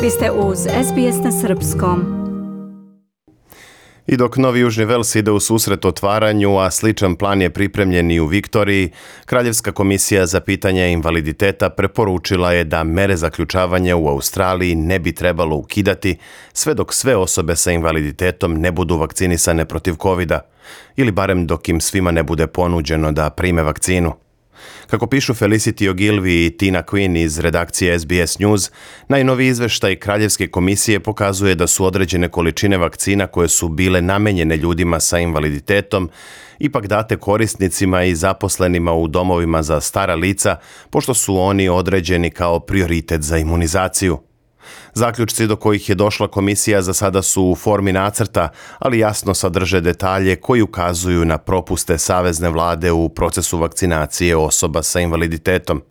Vi ste uz SBS na srpskom. I dok Novi Južni Vels ide u susret otvaranju, a sličan plan je pripremljen i u Viktoriji, Kraljevska komisija za pitanje invaliditeta preporučila je da mere zaključavanja u Australiji ne bi trebalo ukidati sve dok sve osobe sa invaliditetom ne budu vakcinisane protiv covida, ili barem dok im svima ne bude ponuđeno da prime vakcinu. Kako pišu Felicity Ogilvy i Tina Quinn iz redakcije SBS News, najnoviji izveštaj Kraljevske komisije pokazuje da su određene količine vakcina koje su bile namenjene ljudima sa invaliditetom ipak date korisnicima i zaposlenima u domovima za stara lica, pošto su oni određeni kao prioritet za imunizaciju. Zaključci do kojih je došla komisija za sada su u formi nacrta, ali jasno sadrže detalje koji ukazuju na propuste savezne vlade u procesu vakcinacije osoba sa invaliditetom.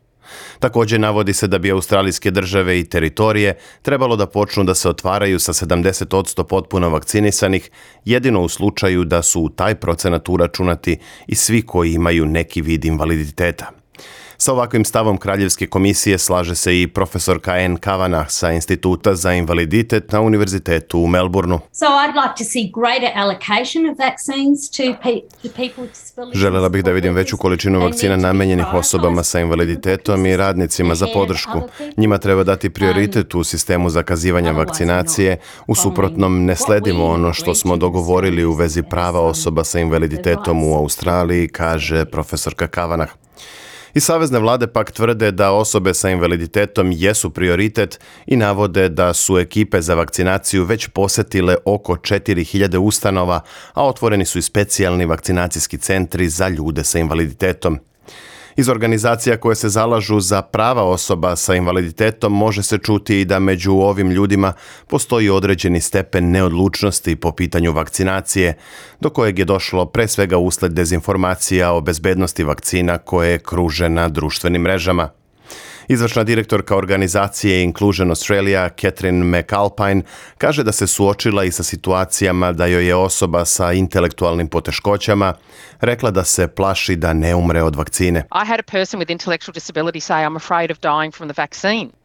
Također navodi se da bi australijske države i teritorije trebalo da počnu da se otvaraju sa 70% potpuno vakcinisanih, jedino u slučaju da su u taj procenat uračunati i svi koji imaju neki vid invaliditeta. Sa ovakvim stavom Kraljevske komisije slaže se i profesorka Anne Kavanagh sa Instituta za invaliditet na Univerzitetu u Melbourneu. Želela bih da vidim veću količinu vakcina namenjenih osobama sa invaliditetom i radnicima za podršku. Njima treba dati prioritet u sistemu zakazivanja vakcinacije, u suprotnom ne sledimo ono što smo dogovorili u vezi prava osoba sa invaliditetom u Australiji, kaže profesorka Kavanagh. I savezne vlade pak tvrde da osobe sa invaliditetom jesu prioritet i navode da su ekipe za vakcinaciju već posetile oko 4000 ustanova, a otvoreni su i specijalni vakcinacijski centri za ljude sa invaliditetom. Iz organizacija koje se zalažu za prava osoba sa invaliditetom može se čuti i da među ovim ljudima postoji određeni stepen neodlučnosti po pitanju vakcinacije, do kojeg je došlo pre svega usled dezinformacija o bezbednosti vakcina koje kruže na društvenim mrežama. Izvršna direktorka organizacije Inclusion Australia, Catherine McAlpine, kaže da se suočila i sa situacijama da joj je osoba sa intelektualnim poteškoćama rekla da se plaši da ne umre od vakcine. I had a person with intellectual disability say I'm afraid of dying from the vaccine.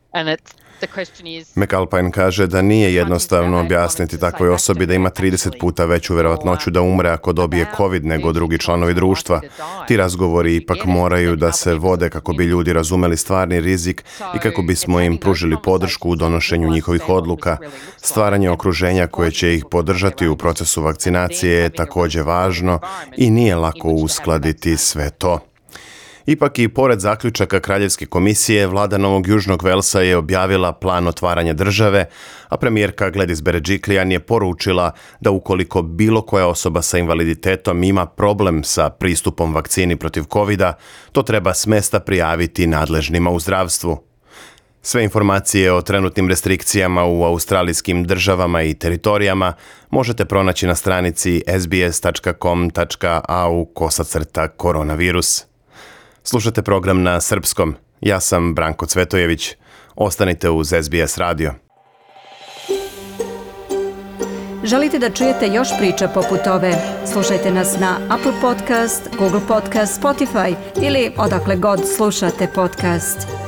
McAlpine kaže da nije jednostavno objasniti takvoj osobi da ima 30 puta veću vjerovatnoću da umre ako dobije COVID nego drugi članovi društva. Ti razgovori ipak moraju da se vode kako bi ljudi razumeli stvarni rizik i kako bismo im pružili podršku u donošenju njihovih odluka. Stvaranje okruženja koje će ih podržati u procesu vakcinacije je također važno i nije lako uskladiti sve to. Ipak i pored zaključaka Kraljevske komisije, vlada Novog Južnog Velsa je objavila plan otvaranja države, a premijerka Gladys Berejiklian je poručila da ukoliko bilo koja osoba sa invaliditetom ima problem sa pristupom vakcini protiv covida, to treba s mesta prijaviti nadležnima u zdravstvu. Sve informacije o trenutnim restrikcijama u australijskim državama i teritorijama možete pronaći na stranici sbs.com.au/koronavirus. Slušate program na srpskom. Ja sam Branko Cvetojević. Ostanite uz SBS radio. Želite da čujete još priča poput ove? Slušajte nas na Apple Podcast, Google Podcast, Spotify ili odakle god slušate podcast.